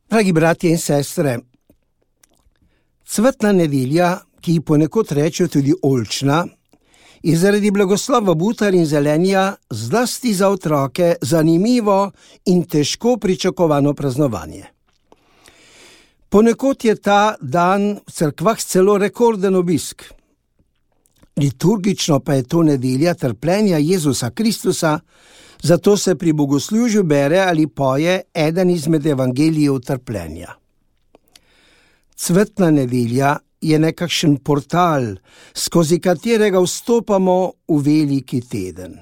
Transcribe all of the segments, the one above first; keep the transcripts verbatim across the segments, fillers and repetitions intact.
Dragi bratje in sestre, cvetna nedelja, ki ji ponekod rečejo tudi oljčna, je zaradi blagoslova butar in zelenja zlasti za otroke zanimivo in težko pričakovano praznovanje. Ponekod je ta dan v cerkvah celo rekorden obisk. Liturgično pa je to nedelja trpljenja Jezusa Kristusa, zato se pri bogoslužju bere ali poje eden izmed evangelijev trpljenja. Cvetna nedelja je nekakšen portal, skozi katerega vstopamo v veliki teden.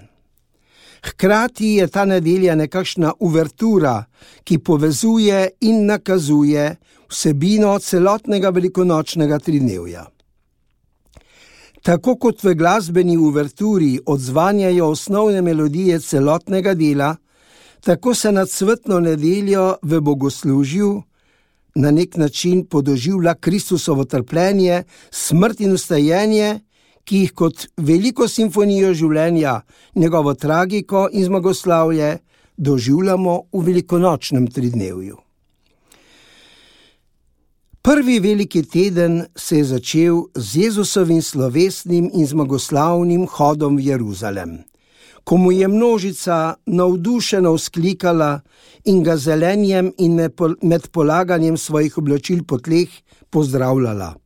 Hkrati je ta nedelja nekakšna uvertura, ki povezuje in nakazuje vsebino celotnega velikonočnega tridnevja. Tako kot v glasbeni uverturi odzvanjajo osnovne melodije celotnega dela, tako se na cvetno nedeljo v bogoslužju na nek način podoživlja Kristusovo trpljenje, smrt in vstajenje, ki jih kot veliko simfonijo življenja, njegovo tragiko in zmagoslavje doživljamo v velikonočnem tridnevju. Prvi veliki teden se je začel z Jezusovim slovesnim in zmagoslavnim hodom v Jeruzalem, ko mu je množica navdušeno vzklikala in ga zelenjem in med polaganjem svojih oblačil po tleh pozdravljala.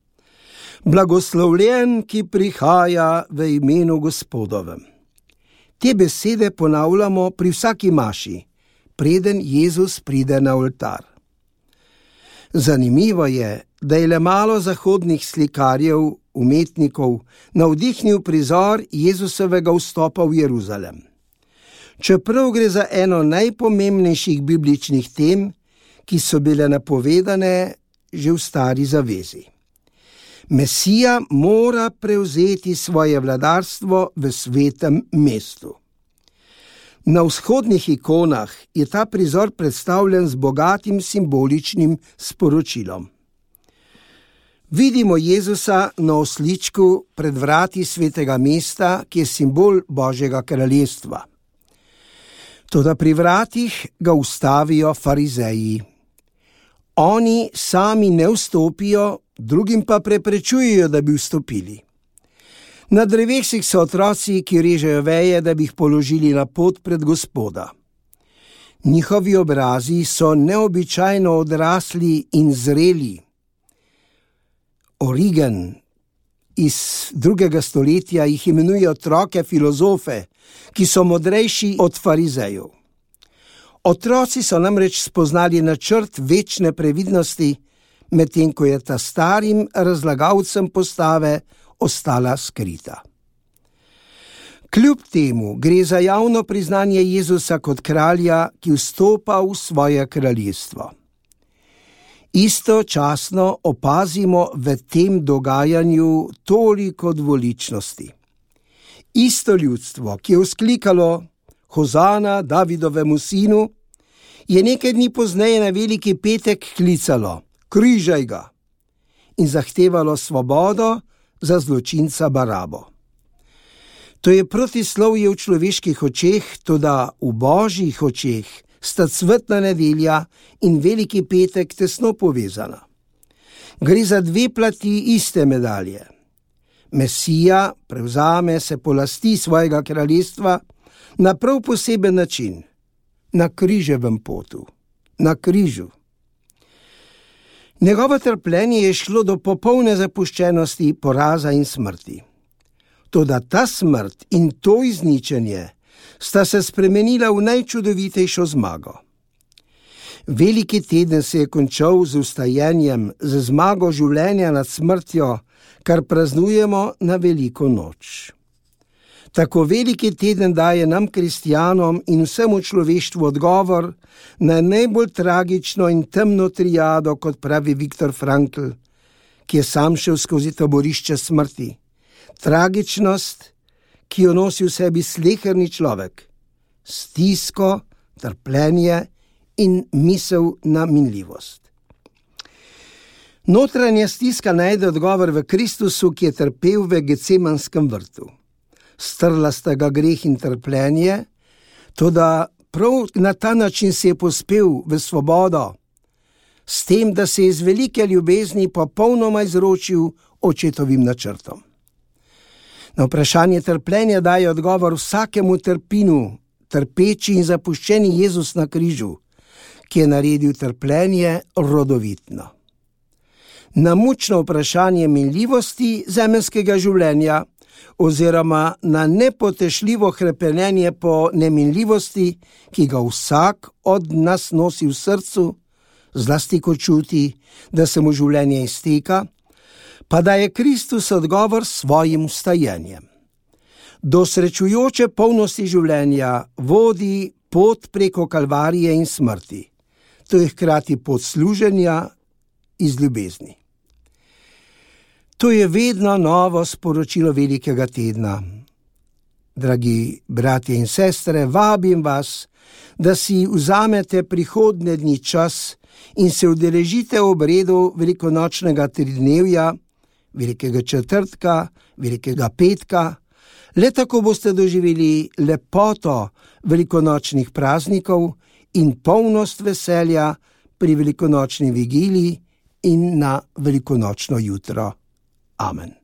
Blagoslovljen, ki prihaja v imenu Gospodovem. Te besede ponavljamo pri vsaki maši, preden Jezus pride na oltar. Zanimivo je, da je le malo zahodnih slikarjev, umetnikov, navdihnil prizor Jezusovega vstopa v Jeruzalem. Čeprav gre za eno najpomembnejših bibličnih tem, ki so bile napovedane že v Stari zavezi. Mesija mora prevzeti svoje vladarstvo v svetem mestu. Na vzhodnih ikonah je ta prizor predstavljen z bogatim simboličnim sporočilom. Vidimo Jezusa na osličku pred vrati svetega mesta, ki je simbol Božjega kraljestva. Toda pri vratih ga ustavijo farizeji. Oni sami ne vstopijo, drugim pa preprečujejo, da bi vstopili. Na drevesih so otroci, ki režejo veje, da bi jih položili na pot pred Gospoda. Njihovi obrazi so neobičajno odrasli in zreli. Origen iz drugega stoletja jih imenuje otroke filozofe, ki so modrejši od farizejev. Otroci so namreč spoznali načrt večne previdnosti, medtem ko je ta starim razlagalcem postave ostala skrita. Kljub temu gre za javno priznanje Jezusa kot kralja, ki vstopa v svoje kraljestvo. Istočasno opazimo v tem dogajanju toliko dvoličnosti. Isto ljudstvo, ki je vzklikalo Hozana Davidovemu sinu, je nekaj dni pozneje na veliki petek klicalo križaj ga in zahtevalo svobodo za zločinca Barabo. To je protislovje v človeških očeh, toda v Božjih očeh sta cvetna nedelja in veliki petek tesno povezana. Gre za dve plati iste medalje. Mesija prevzame, se polasti svojega kraljestva na prav poseben način, na križevem potu, na križu. Njegovo trpljenje je šlo do popolne zapuščenosti, poraza in smrti. Toda ta smrt in to izničenje sta se spremenila v najčudovitejšo zmago. Veliki teden se je končal z vstajenjem, z zmago življenja nad smrtjo, kar praznujemo na veliko noč. Tako veliki teden daje nam, kristjanom in vsemu človeštvu, odgovor na najbolj tragično in temno triado, kot pravi Viktor Frankl, ki je sam šel skozi taborišče smrti. Tragičnost, ki jo nosi v sebi sleherni človek, stisko, trpljenje in misel na minljivost. Notranja stiska najde odgovor v Kristusu, ki je trpel v Gecemanskem vrtu. Strla sta ga greh in trpljenje, toda prav na ta način se je pospel v svobodo. s tem, da se je iz velike ljubezni popolnoma izročil očetovim načrtom. Na vprašanje trpljenja daje odgovor vsakemu trpinu, trpeči in zapuščeni Jezus na križu, ki je naredil trpljenje rodovitno. Na mučno vprašanje minljivosti zemeljskega življenja oziroma na nepotešljivo hrepenenje po neminljivosti, ki ga vsak od nas nosi v srcu, zlasti ko čuti, da se mu življenje izteka, pa daje Kristus odgovor s svojim vstajenjem. Do srečujoče polnosti življenja vodi pot preko kalvarije in smrti. To je hkrati pot služenja iz ljubezni. To je vedno novo sporočilo velikega tedna. Dragi bratje in sestre, vabim vas, da si vzamete prihodnje dni čas in se udeležite obredu velikonočnega tridnevja, velikega četrtka, velikega petka. Le tako boste doživeli lepoto velikonočnih praznikov in polnost veselja pri velikonočni vigiliji in na velikonočno jutro. Amen.